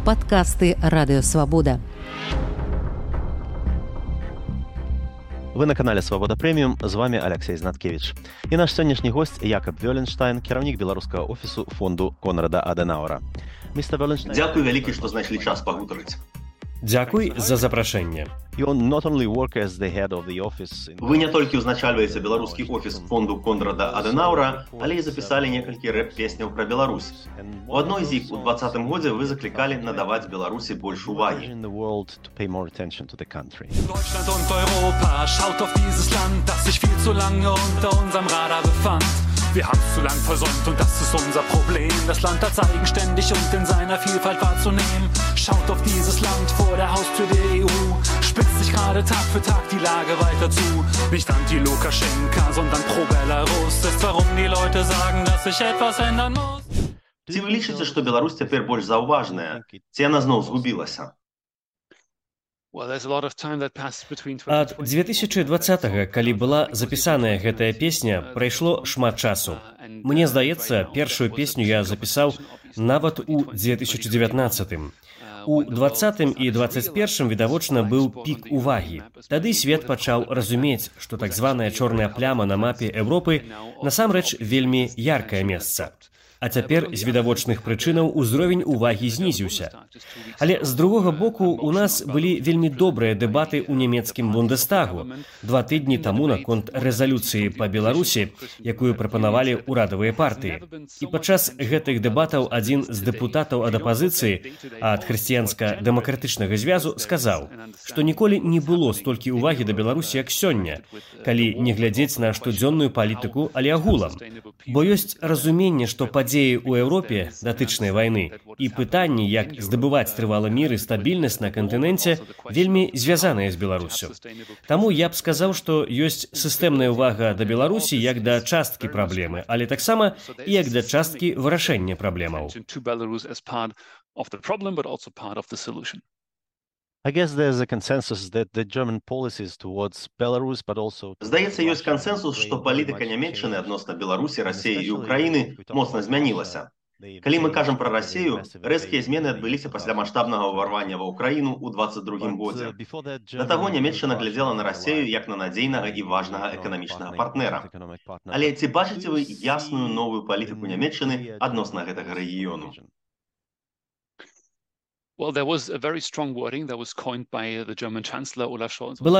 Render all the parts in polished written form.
Падкасты Радыё Свабода. Вы на канале Свабода Прэміум, з вами Алексей Знаткевич. І наш сённяшні гость Якаб Вёленштайн, кіраўнік беларускага офісу фонду Конрада Адэнаўра. Дзякуй вялікі, што знайшлі час пагутарыць. Дзякуй за запрашэнне. Вы не толькі ўзначальваеце беларускі офіс фонду Конрада Адэнаўра, але і запісалі некалькі рэп-песняў пра Беларусь. У адной з іх у 20-м годзе вы заклікалі надаваць Беларусі больш увагі. Deutschland und Europa, schaut auf dieses Land, das sich viel zu lange unter unserem Radar befand. Wir haben es zu lang versäumt und das ist unser Problem. Das Land hat eigenständig und in seiner Vielfalt wahrzunehmen. Schaut auf dieses Land vor der Haustür der EU. Spitzt sich gerade Tag für Tag die Lage weiter zu. Nicht anti-Lukaschenka, sondern pro-Belarus. Ist warum die Leute sagen, dass sich etwas ändern muss. Ці вы лічыце, што Беларусь цяпер больш заўважная? Ці яна зноў згубілася? Ад 2020-го, калі была запісаная гэтая песня, прайшло шмат часу. Мне здаецца, першую песню я запісаў нават у 2019-м. У 20-м і 21-м, відавочна, быў пік увагі. Тады свет пачаў разумець, што так званая чорная пляма на мапе Еўропы насамрэч вельмі яркае месца. А цяпер з відавочных прычынаў узровень увагі знізіўся. Але з другога боку у нас былі вельмі добрыя дэбаты ў нямецкім Бундестагу 2 тыдні таму наконт рэзалюцыі па Беларусі, якую прапанавалі ўрадавыя партыі. І падчас гэтых дэбатаў адзін з дэпутатаў ад апазіцыі, ад хрысціянска-дэмакратычнага звязу, сказаў, што ніколі не было столькі ўвагі да Беларусі, як сёння, калі не глядзець на штодзённую палітыку, але агулам. Бо ёсць разуменне, што падзеі ў Еўропе датычнай вайны і пытанні, як здабываць трывалы мір і стабільнасць на кантыненце, вельмі звязаныя з Беларусю. Таму я б сказаў, што ёсць сістэмная ўвага да Беларусі як да часткі праблемы, але таксама і як да часткі вырашэння праблемаў. Здаецца, ёсць кансэнсус, што палітыка нямецчыны адносна Беларусі, Расіі і Украіны моцна змянілася. Калі мы кажам пра Расію, рэзкія змены адбыліся пасля маштабнага ўварвання ва ўкраіну ў 22-м годзе. Да таго нямецчына глядзела на Расію як на надзейнага і важнага эканамічнага партнера. Але ці бачыце вы ясную новую палітыку нямецчыны адносна гэтага рэгіёну? Была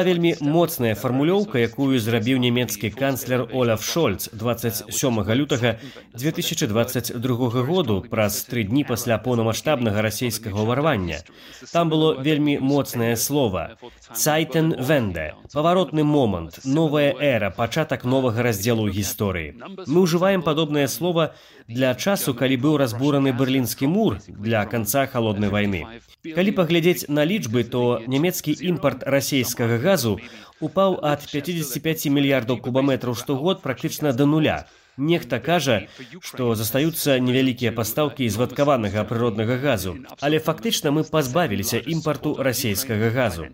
вельмі моцная фармулёўка, якую зрабіў нямецкі канцлер Оляф Шольц 27 лютага 2022 году, праз 3 дні пасля поўнамаштабнага расійскага ўварвання. Там было вельмі моцнае слова «Zeitenwende» – паваротны момант, новая эра, пачатак новага раздзелу гісторыі. Мы ўжываем падобнае слова для часу, калі быў разбураны Берлінскі мур, для канца халоднай вайны. Калі паглядзець на лічбы, то нямецкі імпарт расійскага газу упаў ад 55 мільярдаў кубаметраў штогод практычна да нуля. Нехта кажа, што застаюцца невялікія пастаўкі звадкаванага прыроднага газу, але фактычна мы пазбавіліся імпарту расійскага газу.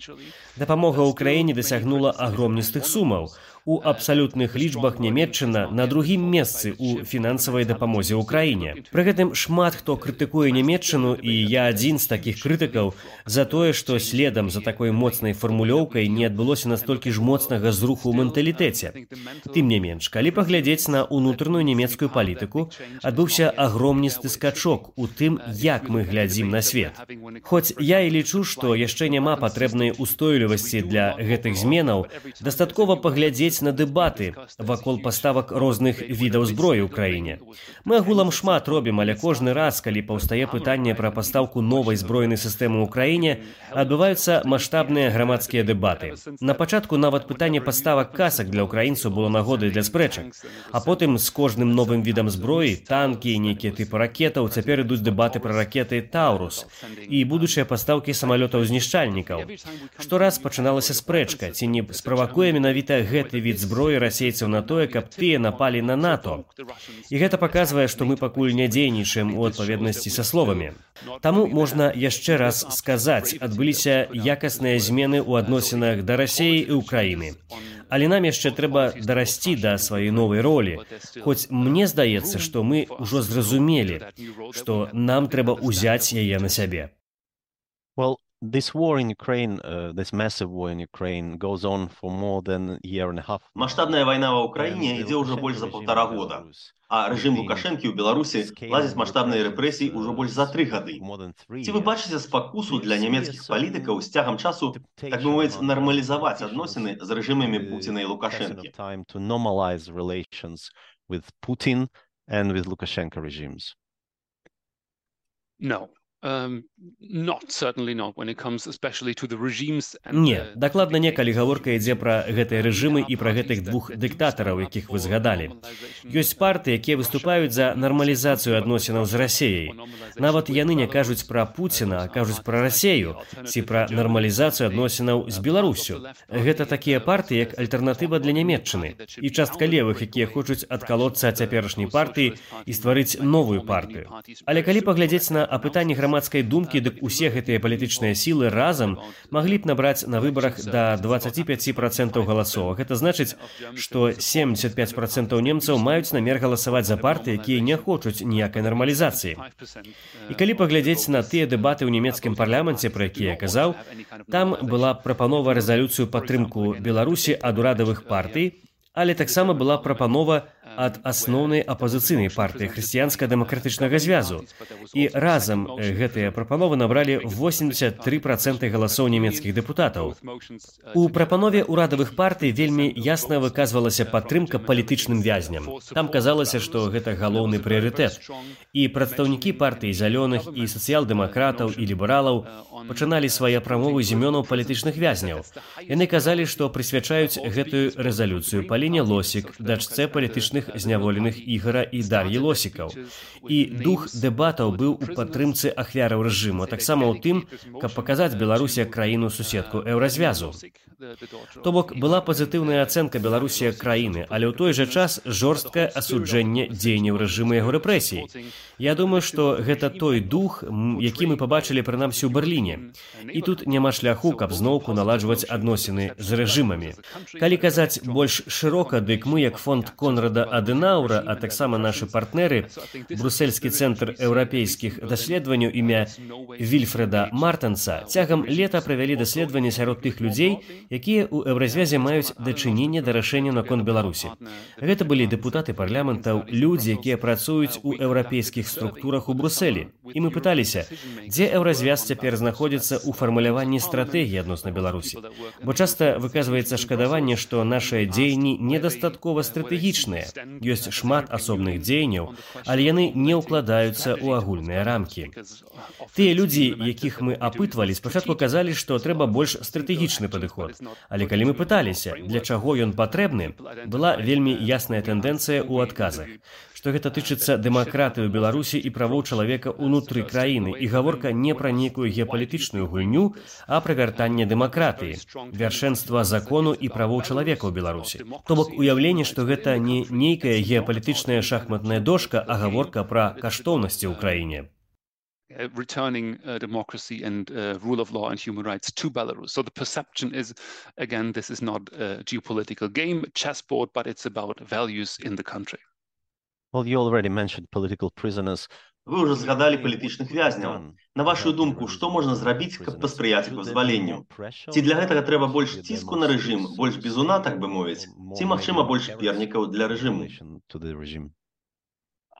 Дапамога ўкраіне дасягнула агромністых сумаў. У абсалютных лічбах Нямецчына на другім месцы ў фінансавай дапамозе ўкраіне. Пры гэтым шмат хто крытыкуе Нямецчыну, і я адзін з такіх крытыкаў, за тое, што следам за такой моцнай фармулёўкай не адбылося настолькі ж моцнага зруху ў менталітэце. Тым не менш, калі паглядзець на ўнутраную нямецкую палітыку, адбыўся агромністы скачок у тым, як мы глядзім на свет. Хоць я і лічу, што яшчэ няма патрэбнай устойлівасці для гэтых зменаў, дастаткова паглядзець на дэбаты вакол паставак розных відаў зброі ў краіне. Мы агулам шмат робім, але кожны раз, калі паўстае пытанне пра пастаўку новай збройнай сістэмы ў краіне, адбываюцца маштабныя грамадскія дэбаты. На пачатку нават пытанне паставак касак для ўкраінцаў было нагодай для спрэчак. А потым з кожным новым відам зброі, танкі, нейкія тыпы ракетаў, цяпер ідуць дэбаты пра ракеты «Таурус» і будучыя пастаўкі самалётаў-знішчальнікаў. Штораз пачыналася спрэчка, ці не справакуе менавіта гэты від зброі расейцаў на тое, каб тыя напалі на НАТО. І гэта паказвае, што мы пакуль не дзейнічаем у адпаведнасці са словамі. Таму можна яшчэ раз сказаць, адбыліся якасныя змены ў адносінах да Расіі і Украіны. Але нам яшчэ трэба дарасці да сваёй новай ролі. Хоць мне здаецца, што мы ўжо зразумелі, што нам трэба ўзяць яе на сябе. Well, this war in Ukraine, this massive war in Ukraine goes on for more than a year and a half. Масштабная война в Украине идет уже больше за 1,5 года, а режим Лукашенки у Беларусі ладзіць масштабныя рэпрэсіі ўжо больш за 3 гады. Ці вы бачыце спакусу для нямецкіх палітыкаў з цягам часу, так бы мовіць, нармалізаваць адносіны з рэжымамі Пуціна і Лукашэнкі? To normalize relations with Putin and with Lukashenko regimes? No. Certainly not when it comes especially to the regimes. Не, дакладна не, калі гаворка ідзе пра гэтыя рэжымы і пра гэтых двух дыктатараў, якіх вы згадалі. Ёсць партыі, якія выступаюць за нармалізацыю адносінаў з Расеяй. Нават яны не кажуць пра Пуціна, а кажуць пра Расею, ці пра нармалізацыю адносінаў з Беларусю. Гэта такія партыі, як альтэрнатыва для Нямецчыны, і частка левых, якія хочуць адкалоцца ад цяперашняй партыі і стварыць новую партыю. Але калі паглядзець на апытанні грамадскай думкі, дык усе гэтыя палітычныя сілы разам маглі б набраць на выбарах да 25% галасоў. Гэта значыць, што 75% немцаў маюць намер галасаваць за партыі, якія не хочуць ніякай нармалізацыі. І калі паглядзець на тыя дэбаты ў нямецкім парламенце, пра якія я казаў, там была прапанова рэзалюцыю падтрымку Беларусі ад урадавых партый, але таксама была прапанова ад асноўнай апазіцыйнай партыі хрысціянска-дэмакратычнага звязу. І разам гэтыя прапановы набралі 83% галасоў нямецкіх дэпутатаў. У прапанове ўрадавых партый вельмі ясна выказвалася падтрымка палітычным вязням. Там казалася, што гэта галоўны прыярытэт. І прадстаўнікі партый зялёных і сацыял-дэмакратаў і лібералаў пачыналі свае прамовы з імёнаў палітычных вязняў. Яны казалі, што прысвячаюць гэтую рэзалюцыю Паліне Лосік, дачцэ палітычных зняволеных Ігара і Дар'і Лосікаў. І дух дэбатаў быў у падтрымцы ахвяраў рэжыму, а таксама ў тым, каб паказаць Беларусі як краіну-суседку еўразвязу. То бок, была пазітыўная ацэнка Беларусі як краіны, але ў той жа час жорсткае асуджэнне дзеянняў рэжыму яго рэпрэсій. Я думаю, што гэта той дух, які мы пабачылі прынамсі ў Берліне. І тут няма шляху, каб зноўку наладжваць адносіны з рэжымамі. Калі казаць больш шырока, дык мы, як фонд Конрада Аденаура, а таксама нашы партнеры, Брусельскі цэнтр еўрапейскіх даследаванняў імя Вільфреда Мартенса, цягам лета правялі даследаванні сярод тых людзей, якія ў еўразвязе маюць дачыненне да рашэння наконт Беларусі. Гэта былі дэпутаты парламентаў, людзі, якія працуюць у еўрапейскіх структурах у Брусэлі. І мы пыталіся, дзе еўразвяз цяпер знаходзіцца ў фармуляванні стратэгіі адносна Беларусі. Бо часта выказваецца шкадаванне, што нашыя дзеянні недастаткова стратэгічныя. Ёсць шмат асобных дзеянняў, але яны не ўкладаюцца ў агульныя рамкі. Тыя людзі, якіх мы апытвалі, спачатку казалі, што трэба больш стратэгічны падыход. Але калі мы пыталіся, для чаго ён патрэбны, была вельмі ясная тэндэнцыя ў адказах, што гэта тычыцца дэмакратыі ў Беларусі і правоў чалавека ўнутры краіны, і гаворка не пра нейкую геапалітычную гульню, а пра вяртанне дэмакратыі, вяршэнства закону і правоў чалавека ў Беларусі. То бок уяўленне, што гэта не нейкая геапалітычная шахматная дошка, а гаворка пра каштоўнасці ў краіне. Returning democracy and rule of law and human rights to Belarus. So the perception is, again, this is not a geopolitical game, chessboard, but it's about values in the country. Well, you already mentioned political prisoners. Вы ўжо згадалі палітычных вязняў. На вашу думку, што можна зрабіць, каб паспрыяць іх вызваленню? Ці для гэтага трэба больш ціску на рэжым, больш бізуна, так бы мовіць? Ці, магчыма, больш пернікаў для рэжыму?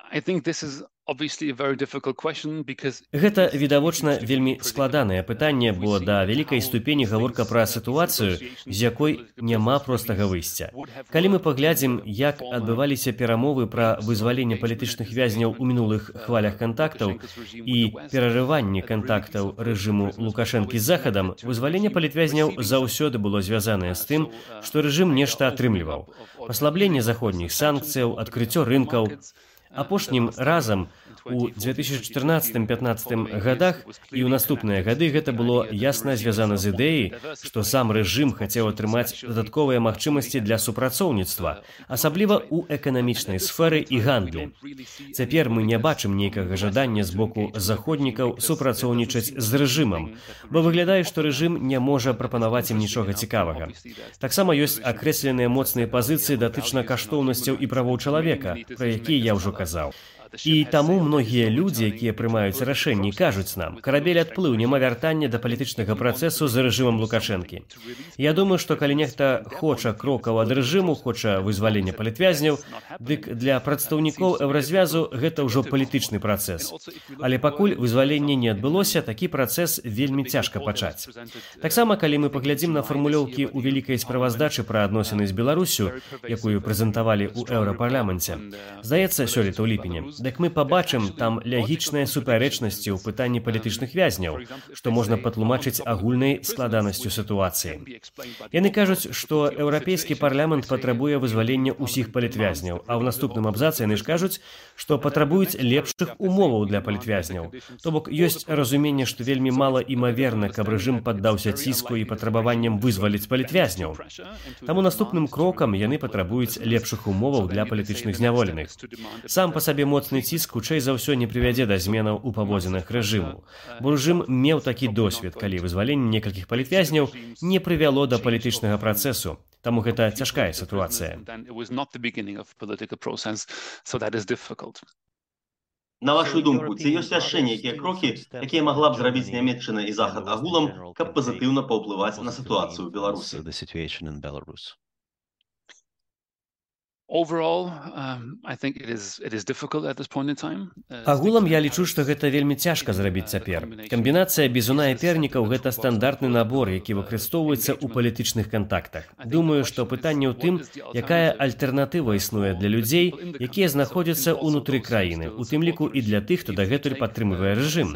I think this is obviously a very difficult question because Гэта відавочна вельмі складанае пытанне, бо да вялікай ступені гаворка пра сітуацыю, з якой няма простага выйсця. Калі мы паглядзім, як адбываліся перамовы пра вызваленне палітычных вязняў у мінулых хвалях кантактаў і перарыванне кантактаў рэжыму Лукашэнкі з Захадам, вызваленне палітвязняў заўсёды было звязанае з тым, што рэжым нешта атрымліваў. Паслабленне заходніх санкцыяў, адкрыццё рынкаў. Апошнім разам у 2014-15 годах і ў наступныя гады гэта было ясна звязана з ідэяй, што сам рэжым хацеў атрымаць дадатковыя магчымасці для супрацоўніцтва, асабліва ў эканамічнай сферы і гандлі. Цяпер мы не бачым нейкага жадання з боку заходнікаў супрацоўнічаць з рэжымам, бо выглядае, што рэжым не можа прапанаваць ім нічога цікавага. Таксама ёсць акрэсленыя моцныя пазіцыі датычна каштоўнасцяў і правоў чалавека, пра якія я ўжо казаў. І таму многія людзі, якія прымаюць рашэнні, кажуць нам, карабель адплыў, няма вяртання да палітычнага працэсу за рэжымам Лукашэнкі. Я думаю, што калі нехта хоча крокаў ад рэжыму, хоча вызвалення палітвязняў, дык для прадстаўнікоў еўразвязу гэта ўжо палітычны працэс. Але пакуль вызваленне не адбылося, такі працэс вельмі цяжка пачаць. Таксама, калі мы паглядзім на фармулёўкі ў вялікай справаздачы пра адносіны з Беларусю, якую прэзентавалі ў еўрапарламенце, здаецца, сёлета ў ліпені, дык мы пабачым там лягічныя супярэчнасці ў пытанні палітычных вязняў, што можна патлумачыць агульнай складанасцю сітуацыі. Яны кажуць, што еўрапейскі парламент патрабуе вызвалення ўсіх палітвязняў, а ў наступным абзацы яны ж кажуць, што патрабуюць лепшых умоваў для палітвязняў. То бок ёсць разуменне, што вельмі мала імаверна, каб рэжым паддаўся ціску і патрабаванням вызваліць палітвязняў. Таму наступным крокам яны патрабуюць лепшых умоваў для палітычных зняволеных. Сам па сабе моцны ціск хутчэй за ўсё не прывядзе да зменаў у паводзінах рэжыму. Бо рэжым меў такі досвед, калі вызваленне некалькіх палітвязняў не прывяло да палітычнага працэсу. Таму гэта цяжкая сітуацыя. На вашу думку, ці ёсць яшчэ нейкія крокі, якія магла б зрабіць Нямецчына і Захад агулам, каб пазітыўна паўплываць на сітуацыю ў Беларусі? Агулам я лічу, што гэта вельмі цяжка зрабіць цяпер. Камбінацыя бізуна і пернікаў – гэта стандартны набор, які выкарыстоўваецца ў палітычных кантактах. Думаю, што пытанне ў тым, якая альтэрнатыва існуе для людзей, якія знаходзяцца ўнутры краіны, у тым ліку і для тых, хто дагэтуль падтрымлівае рэжым.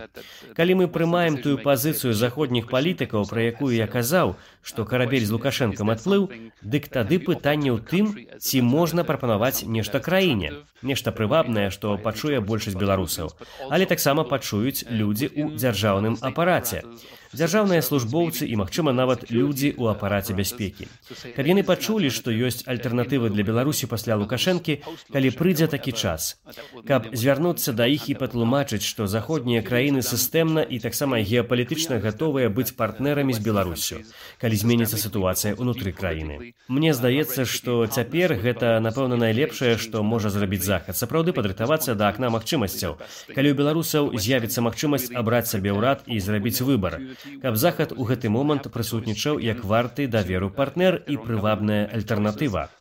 Калі мы прымаем тую пазіцыю заходніх палітыкаў, пра якую я казаў, што карабель з Лукашэнкам адплыў, дык тады пытанне ў тым, ці можна прапанаваць нешта краіне, нешта прывабнае, што пачуе большасць беларусаў, але таксама пачуюць людзі ў дзяржаўным апараце. Дзяржаўныя службоўцы і, магчыма, нават людзі ў апараце бяспекі. Каб яны пачулі, што ёсць альтэрнатывы для Беларусі пасля Лукашэнкі, калі прыйдзе такі час. Каб звярнуцца да іх і патлумачыць, што заходнія краіны сістэмна і таксама геапалітычна гатовыя быць партнерамі з Беларусю, калі зменіцца сітуацыя ўнутры краіны. Мне здаецца, што цяпер гэта, напэўна, найлепшае, што можа зрабіць Захад, сапраўды падрыхтавацца да акна магчымасцяў, калі ў беларусаў з'явіцца магчымасць абраць сабе ўрад і зрабіць выбар, каб Захад у гэты момант прысутнічаў як варты даверу партнер і прывабная альтэрнатыва.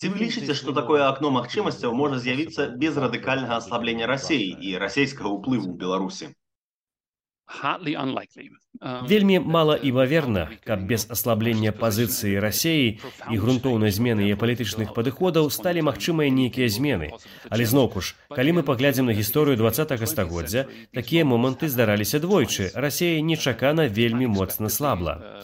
Ці вы лічыце, што такое акно магчымасцяў можа з'явіцца без радыкальнага аслаблення Расіі і расійскага ўплыву ў Беларусі? Вельмі малаімаверна, каб без аслаблення пазіцыі Расіі і грунтоўнай змены яе палітычных падыходаў сталі магчымыя нейкія змены. Але зноўку ж, калі мы паглядзім на гісторыю 20-го стагоддзя, такія моманты здараліся двойчы. Расія нечакана вельмі моцна слабла.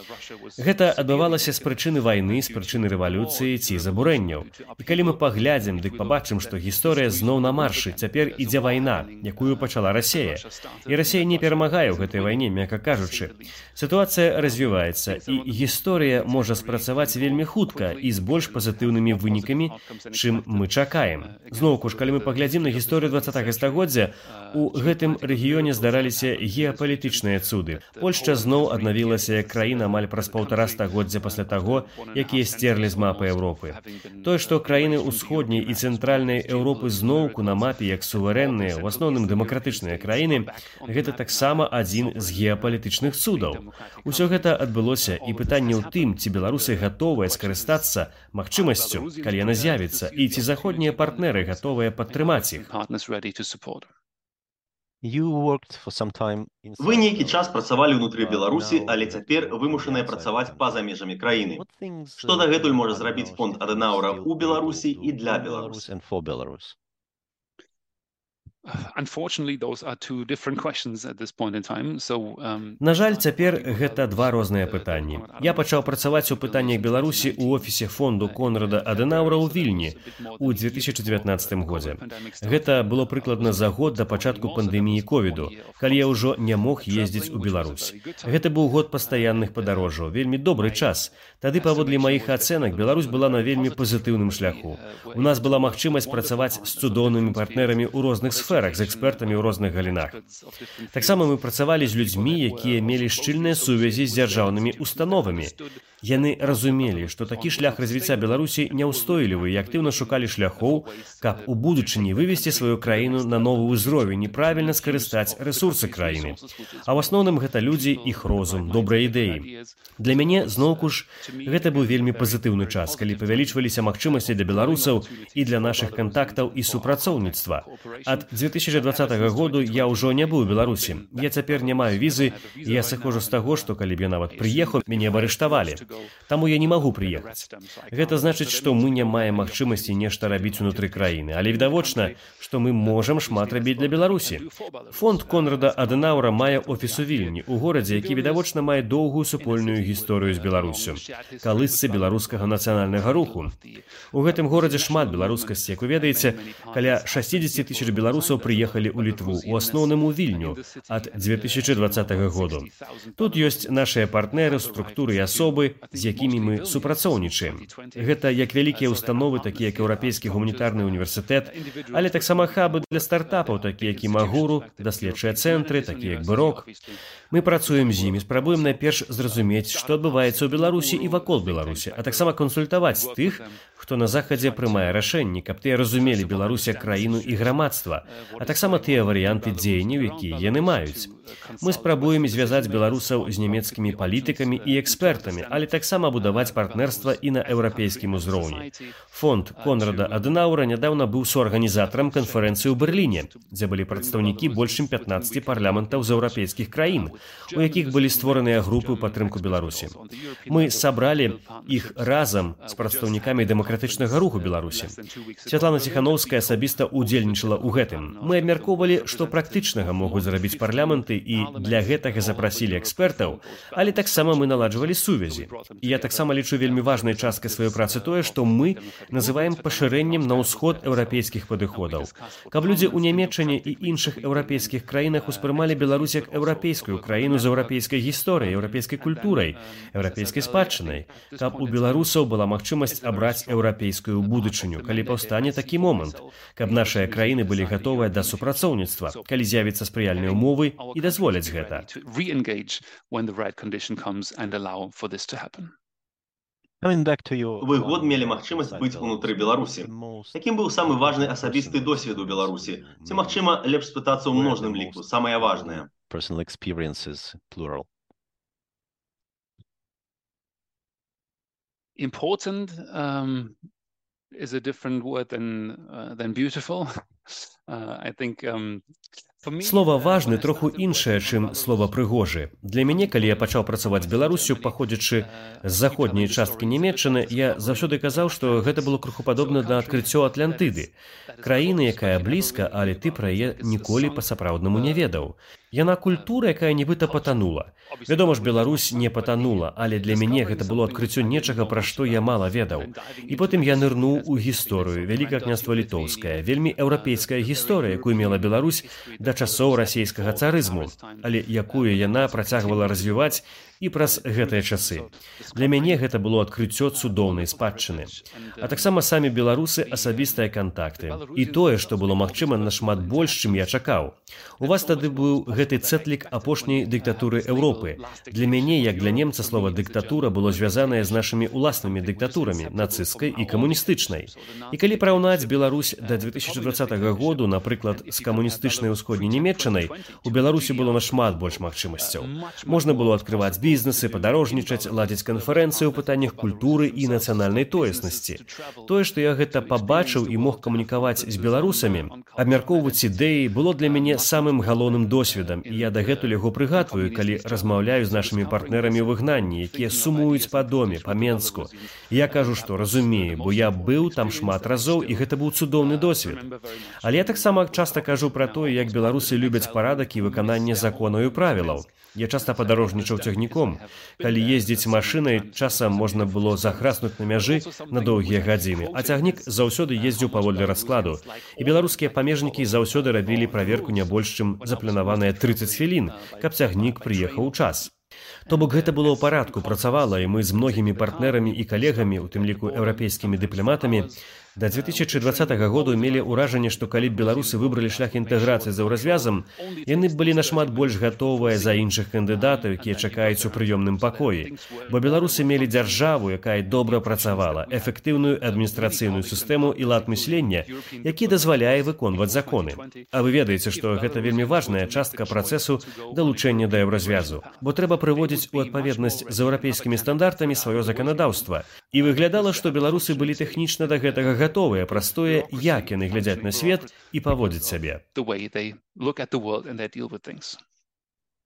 Гэта адбывалася з прычыны вайны, з прычыны рэвалюцыі ці забурэнняў. І калі мы паглядзім, дык пабачым, што гісторыя зноў на маршы, цяпер ідзе вайна, якую пачала Расія. І Расія не перамагае ў гэтай вайне, мякка кажучы. Сітуацыя развіваецца, і гісторыя можа спрацаваць вельмі хутка і з больш пазітыўнымі вынікамі, чым мы чакаем. Зноўку ж, калі мы паглядзім на гісторыю 20-го стагоддзя, у гэтым рэгіёне здараліся геапалітычныя цуды. Польшча зноў аднавілася як краіна амаль праз 1,5 стагоддзя пасля таго, якія сцерлі з мапы Еўропы. Тое, што краіны ўсходняй і цэнтральнай Еўропы зноўку на мапе як суверэнныя, у асноўным дэмакратычныя краіны, гэта таксама адзін з геапалітычных цудаў. Усё гэта адбылося, і пытанне ў тым, ці беларусы гатовыя скарыстацца магчымасцю, калі яна з'явіцца, і ці заходнія партнеры гатовыя падтрымаць іх. Вы нейкі час працавалі ўнутры Беларусі, але цяпер вымушаныя працаваць па-за межамі краіны. Што дагэтуль можа зрабіць фонд Адэнаўра ў Беларусі і для Беларусі? На жаль, цяпер гэта два розныя пытанні. Я пачаў працаваць у пытаннях Беларусі ў офісе фонду Конрада Адэнаўра ў Вільні ў 2019 годзе. Гэта было прыкладна за год да пачатку пандэміі ковіду, калі я ўжо не мог ездзіць у Беларусь. Гэта быў год пастаянных падарожжаў, вельмі добры час. Тады, паводле маіх ацэнак, Беларусь была на вельмі пазітыўным шляху. У нас была магчымасць працаваць з цудоўнымі партнерамі ў розных сферах, з экспертамі ў розных галінах. Таксама мы працавалі з людзьмі, якія мелі шчыльныя сувязі з дзяржаўнымі установамі. Яны разумелі, што такі шлях развіцця Беларусі няўстойлівы і актыўна шукалі шляхоў, каб у будучыні вывесці сваю краіну на новы ўзровень і правільна скарыстаць рэсурсы краіны. А ў асноўным гэта людзі, іх розум, добрыя ідэі. Для мяне, зноўку ж, гэта быў вельмі пазітыўны час, калі павялічваліся магчымасці для беларусаў і для нашых кантактаў і супрацоўніцтва. Ад 2020 году я ўжо не быў у Беларусі. Я цяпер не маю візы, і я сыходжу з таго, што калі б я нават прыехаў, мяне б арыштавалі. Таму я не магу прыехаць. Гэта значыць, што мы не маем магчымасці нешта рабіць унутры краіны, але відавочна, што мы можам шмат рабіць для Беларусі. Фонд Конрада Адэнаўра мае офіс у Вільні, у горадзе, які відавочна мае доўгую супольную гісторыю з Беларуссю, калысцы беларускага нацыянальнага руху. У гэтым горадзе шмат беларускасці, як вы ведаеце, каля 60 000 беларусаў прыехалі ў Літву, у асноўным у Вільню, ад 2020 году. Тут ёсць нашыя партнеры, структуры і асобы, з якімі мы супрацоўнічаем. Гэта як вялікія установы, такія як Еўрапейскі гуманітарны універсітэт, але таксама хабы для стартапаў, такія як Імагуру, даследчыя цэнтры, такія як Бырок. Мы працуем з імі, спрабуем найперш зразумець, што адбываецца ў Беларусі і вакол Беларусі, а таксама кансультаваць тых, хто на захадзе прымае рашэнні, каб тыя разумелі Беларусь як краіну і грамадства, а таксама тыя варыянты дзеянняў, якія яны маюць. Мы спрабуем звязаць беларусаў з нямецкімі палітыкамі і экспертамі, але таксама будаваць партнерства і на еўрапейскім узроўні. Фонд Конрада Адэнаўра нядаўна быў суарганізатарам канферэнцыі ў Берліне, дзе былі прадстаўнікі больш чым 15 парламентаў з еўрапейскіх краін, у якіх былі створаныя групы ў падтрымку Беларусі. Мы сабралі іх разам з прадстаўнікамі дэмакратычнага руху Беларусі. Святлана Ціхановская асабіста ўдзельнічала ў гэтым. Мы абмяркоўвалі, што практычнага могуць зрабіць парламенты, і для гэтага запрасілі экспертаў, але таксама мы наладжвалі сувязі. І я таксама лічу вельмі важнай часткай сваёй працы тое, што мы называем пашырэннем на ўсход еўрапейскіх падыходаў. Каб людзі ў Нямецчыне і іншых еўрапейскіх краінах успрымалі Беларусь як еўрапейскую краіну з еўрапейскай гісторыяй, еўрапейскай культурай, еўрапейскай спадчынай, каб у беларусаў была магчымасць абраць еўрапейскую будучыню, калі паўстане такі момант, каб нашыя краіны былі гатовыя да супрацоўніцтва, калі з'явіцца спрыяльныя ўмовы і дазволяць гэта. Вы год мелі магчымасць быць унутры Беларусі. Якім быў самы важны асабісты досвед у Беларусі? Ці, магчыма, лепш спытацца ў множным ліку, самае важнае? Important is a different word than beautiful. I think Слова «важны» троху іншае, чым слова «прыгожы». Для мяне, калі я пачаў працаваць Беларуссю, паходзячы з заходняй часткі Нямецчыны, я заўсёды казаў, што гэта было крыху падобна да адкрыццё Атлантыды. Краіны, якая блізка, але ты пра яе ніколі па-сапраўднаму не ведаў. Яна культура, якая нібыта патанула. Вядома ж, Беларусь не патанула, але для мяне гэта было адкрыццё нечага, пра што я мала ведаў. І потым я нырнуў у гісторыю. Вялікае княства Літоўскае, вельмі еўрапейская гісторыя, якую мела Беларусь да часоў расійскага царызму, але якую яна працягвала развіваць і праз гэтыя часы. Для мяне гэта было адкрыццё цудоўнай спадчыны. А таксама самі беларусы асабістыя кантакты. І тое, што было магчыма нашмат больш, чым я чакаў. У вас тады быў гэты цэтлік апошняй дыктатуры Еўропы. Для мяне, як для немца, слова «дыктатура» было звязанае з нашымі ўласнымі дыктатурамі, нацысцкай і камуністычнай. І калі параўнаць Беларусь да 2020 году, напрыклад, з камуністычнай усходняй Нямецчынай, у Беларусі было нашмат больш магчымасцяў. Можна было адкрываць бізнесы, падарожнічаць, ладзіць канферэнцыі ў пытаннях культуры і нацыянальнай тоеснасці. Тое, што я гэта пабачыў і мог камунікаваць з беларусамі, абмяркоўваць ідэі, было для мяне самым галоўным досведам, і я дагэтуль яго прыгадваю, калі размаўляю з нашымі партнерамі ў выгнанні, якія сумуюць па доме, па Менску. Я кажу, што разумею, бо я быў там шмат разоў, і гэта быў цудоўны досвед. Але я таксама часта кажу пра тое, як беларусы любяць парадак і выкананне законаў і правілаў. Я часта падарожнічаў цягніком. Калі ездзіць машынай, часам можна было захраснуць на мяжы на доўгія гадзіны, а цягнік заўсёды ездзіў паводле раскладу. І беларускія памежнікі заўсёды рабілі праверку не больш, чым запланаваныя 30 хвілін, каб цягнік прыехаў у час. То бок гэта было ў парадку, працавала, і мы з многімі партнерамі і калегамі, у тым ліку еўрапейскімі дыпламатамі, Да 2020 году мелі ўражанне, што калі б беларусы выбралі шлях інтэграцыі з еўразвязам, яны б былі нашмат больш гатовыя за іншых кандыдатаў, якія чакаюць у прыёмным пакоі. Бо беларусы мелі дзяржаву, якая добра працавала, эфектыўную адміністрацыйную сістэму і лад мыслення, які дазваляе выконваць законы. А вы ведаеце, што гэта вельмі важная частка працэсу далучэння да еўразвязу, бо трэба прыводзіць у адпаведнасць з еўрапейскімі стандартамі сваё заканадаўства. І выглядала, што беларусы былі тэхнічна да гэтага гатовыя праз тое, як яны глядзяць на свет і паводзяць сябе.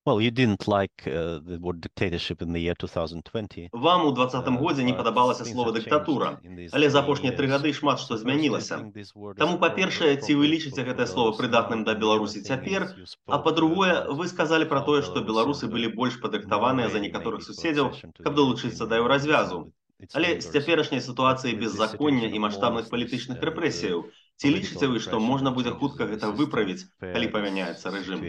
Well, you didn't like the word dictatorship in the year 2020. Вам у 2020 годзе не падабалася слова дыктатура, але за апошнія 3 гады шмат што змянілася. Таму, па-першае, ці вы лічыце гэтае слова прыдатным да Беларусі цяпер, а па-другое, вы сказалі пра тое, што беларусы былі больш падрыхтаваныя за некаторых суседзяў, каб далучыцца да еўразвязу. Але з цяперашняй сітуацыі беззаконня і маштабных палітычных рэпрэсіяў, ці лічыце вы, што можна будзе хутка гэта выправіць, калі памяняецца рэжым?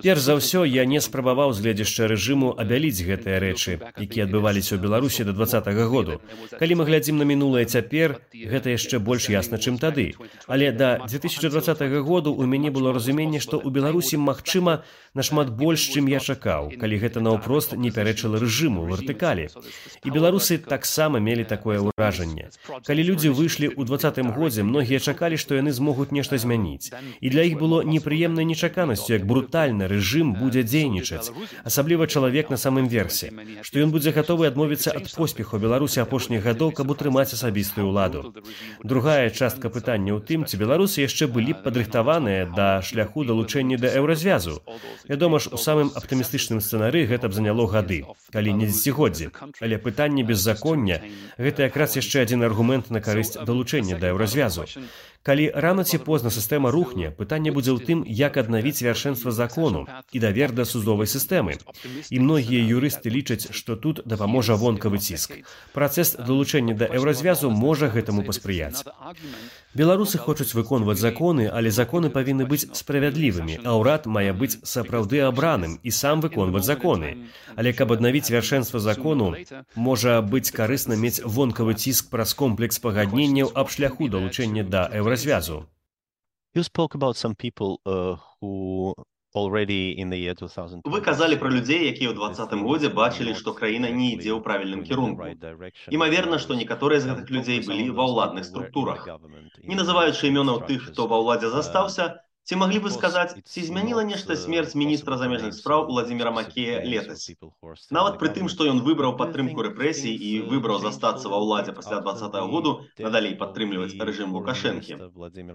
Перш за ўсё, я не спрабаваў з гледзяшча рэжыму абяліць гэтыя рэчы, якія адбываліся ў Беларусі да 2020 году. Калі мы глядзім на мінулае цяпер, гэта яшчэ больш ясна, чым тады. Але да 2020 году ў мяне было разуменне, што ў Беларусі магчыма нашмат больш, чым я чакаў, калі гэта наўпрост не пярэчыла рэжыму, вертыкалі. І беларусы таксама мелі такое ўражанне. Калі людзі выйшлі ў 2020 годзе, многія чакалі, што яны змогуць нешта змяніць. І для іх было непрыемнай нечаканасцю, як брутальна рэжым будзе дзейнічаць, асабліва чалавек на самым версе, што ён будзе гатовы адмовіцца ад поспеху Беларусі апошніх гадоў, каб утрымаць асабістую ўладу. Другая частка пытання ў тым, ці беларусы яшчэ былі б падрыхтаваныя да шляху далучэння да еўразвязу. Вядома ж, у самым аптымістычным сцэнары гэта б заняло гады, калі не дзесяцігоддзі. Але пытанне беззаконня – гэта якраз яшчэ адзін аргумент на карысць далучэння да еўразвязу. Калі рана ці позна сістэма рухне, пытанне будзе ў тым, як аднавіць вяршэнства закону і давер да судовай сістэмы. І многія юрысты лічаць, што тут дапаможа вонкавы ціск. Працэс далучэння да еўразвязу можа гэтаму паспрыяць. Беларусы хочуць выконваць законы, але законы павінны быць справядлівымі, а ўрад мае быць сапраўды абраным і сам выконваць законы. Але каб аднавіць вяршэнства закону, можа быць карысна мець вонкавы ціск праз комплекс пагадненняў аб шляху далучэння да еўразвязу. You spoke about some people who already in the year 2000. Вы казалі пра людзей, якія ў 2020 годзе бачылі, што краіна не ідзе ў правільным кірунку. Імаверна, што некаторыя з гэтых людзей былі ва ўладных структурах. Не называючы імёнаў тых, хто ва ўладзе застаўся, ці маглі бы сказаць, ці змяніла нешта смерць міністра замежных спраў Уладзіміра Макея летась? Нават пры тым, што ён выбраў падтрымку рэпрэсій і выбраў застацца ва ўладзе пасля 2020 году, надалей падтрымліваць рэжым Лукашэнкі.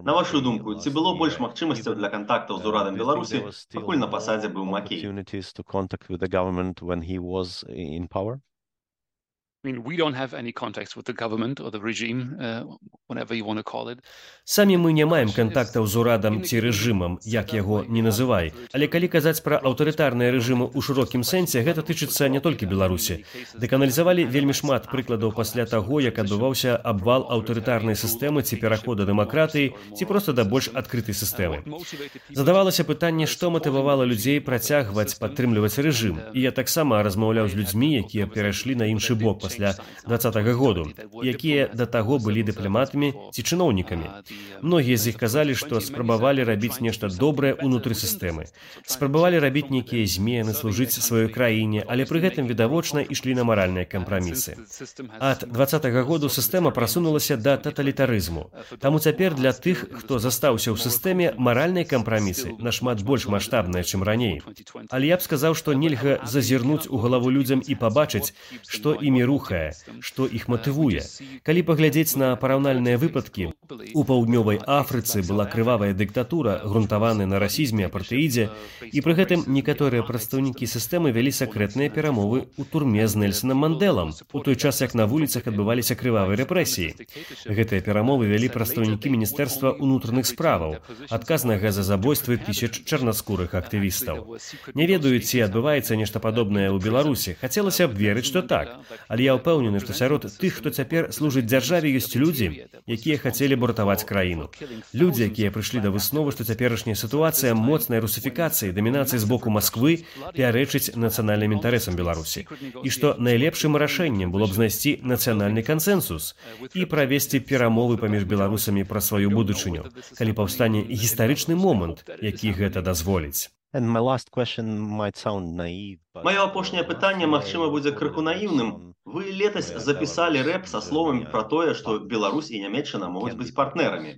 На вашу думку, ці было больш магчымасцяў для кантактаў з урадам Беларусі, пакуль на пасадзе быў Макей? Самі мы не маем кантактаў з урадам ці рэжымам, як яго не называй. Але калі казаць пра аўтарытарныя рэжымы ў шырокім сэнсе, гэта тычыцца не толькі Беларусі. Дэканалізавалі вельмі шмат прыкладаў пасля таго, як адбываўся абвал аўтарытарнай сістэмы ці пераход да дэмакратыі, ці проста да больш адкрытай сістэмы. Задавалася пытанне, што матывавала людзей працягваць падтрымліваць рэжым. І я таксама размаўляў з людзьмі, якія перайшлі на іншы бок пасля 2020 году, якія да таго былі дыпламатамі ці чыноўнікамі. Многія з іх казалі, што спрабавалі рабіць нешта добрае ўнутры сістэмы. Спрабавалі рабіць нейкія змены, служыць сваёй краіне, але пры гэтым відавочна ішлі на маральныя кампрамісы. Ад 2020 году сістэма прасунулася да таталітарызму. Таму цяпер для тых, хто застаўся ў сістэме, маральныя кампрамісы нашмат больш маштабныя, чым раней. Але я б сказаў, што нельга зазірнуць у галаву людзям і пабачыць, што імі рухае, што іх матывуе. Калі паглядзець на параўнальныя выпадкі, у паўднёвай Афрыцы была крывавая дыктатура, грунтаваная на расізме, апартэідзе, і пры гэтым некаторыя прадстаўнікі сістэмы вялі сакрэтныя перамовы ў турме з Нельсонам Мандэлам, у той час, як на вуліцах адбываліся крывавыя рэпрэсіі. Гэтыя перамовы вялі прадстаўнікі Міністэрства ўнутраных справаў, адказнага за забойствы тысяч чарнаскурых актывістаў. Не ведаю, ці адбываецца нешта падобнае ў Беларусі. Хацелася б верыць, што так. Але я ўпэўнены, што сярод тых, хто цяпер служыць дзяржаве, ёсць людзі, якія хацелі б ратаваць краіну. Людзі, якія прыйшлі да высновы, што цяперашняя сітуацыя моцнай русіфікацыі, дамінацыі з боку Масквы пярэчыць нацыянальным інтарэсам Беларусі. І што найлепшым рашэннем было б знайсці нацыянальны кансэнсус і правесці перамовы паміж беларусамі пра сваю будучыню, калі паўстане гістарычны момант, які гэта дазволіць. Маё апошняе пытанне, магчыма, будзе крыху наіўным. Вы летась запісалі рэп са словамі пра тое, што Беларусь і Нямецчына могуць быць партнерамі.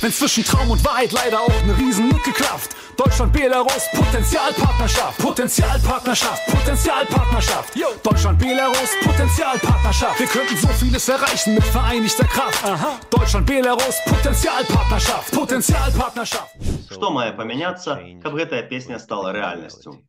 Wenn zwischen Traum und Wahrheit leider auch eine Riesenlücke klafft. Deutschland, Belarus, Potenzialpartnerschaft, Potenzialpartnerschaft, Potenzialpartnerschaft. Deutschland, Belarus, Potenzialpartnerschaft. Wir könnten so vieles erreichen mit vereinigter Kraft. Aha. Deutschland, Belarus, Potenzialpartnerschaft, Potenzialpartnerschaft. Што мае памяняцца, каб гэтая песня стала рэальнасцю?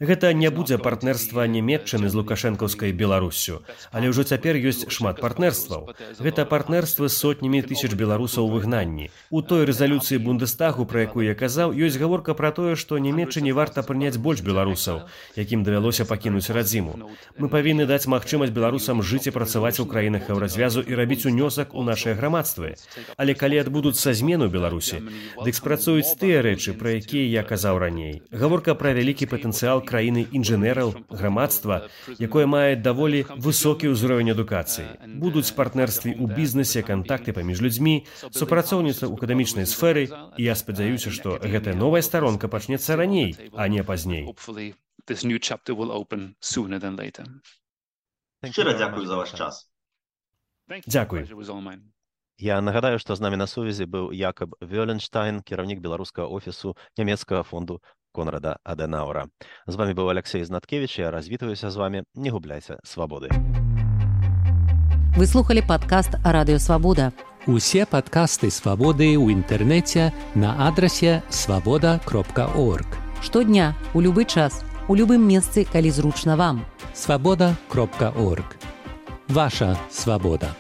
Гэта не будзе партнерства Нямецчыны з лукашэнкаўскай Беларуссю, але ўжо цяпер ёсць шмат партнерстваў. Гэта партнерствы з сотнямі тысяч беларусаў у выгнанні. У той рэзалюцыі Бундестагу, пра якую я казаў, ёсць гаворка пра тое, што Нямецчыне варта прыняць больш беларусаў, якім давялося пакінуць радзіму. Мы павінны даць магчымасць беларусам жыць і працаваць у краінах еўразвязу і рабіць унёсак у нашыя грамадствы. Але калі адбудуцца змены ў Беларусі, дык спрацуюць тыя рэчы, пра якія я казаў раней. Гаворка пра вялікі патэнцыял краіны інжынераў, грамадства, якое мае даволі высокі ўзровень адукацыі. Будуць партнерствы ў бізнесе, кантакты паміж людзьмі, супрацоўніцтва ў акадэмічнай сферы, і я спадзяюся, што гэтая новая старонка пачнецца раней, а не пазней. Шчыра дзякую за ваш час. Дзякуй. Я нагадаю, што з намі на сувязі быў Якаб Вёленштайн, кіраўнік беларускага офісу нямецкага фонду Конрада Аденауэра. З вами быў Алексей Знаткевич, я развітваюся з вами. Не губляйце свабоды. Вы слухали падкаст Радыё Свабода. Усе падкасты Свабоды ў інтэрнэце на адрасе свабода.орг. Штодня, у любы час, у любым месцы, калі зручна вам. Свабода.орг. Ваша свабода.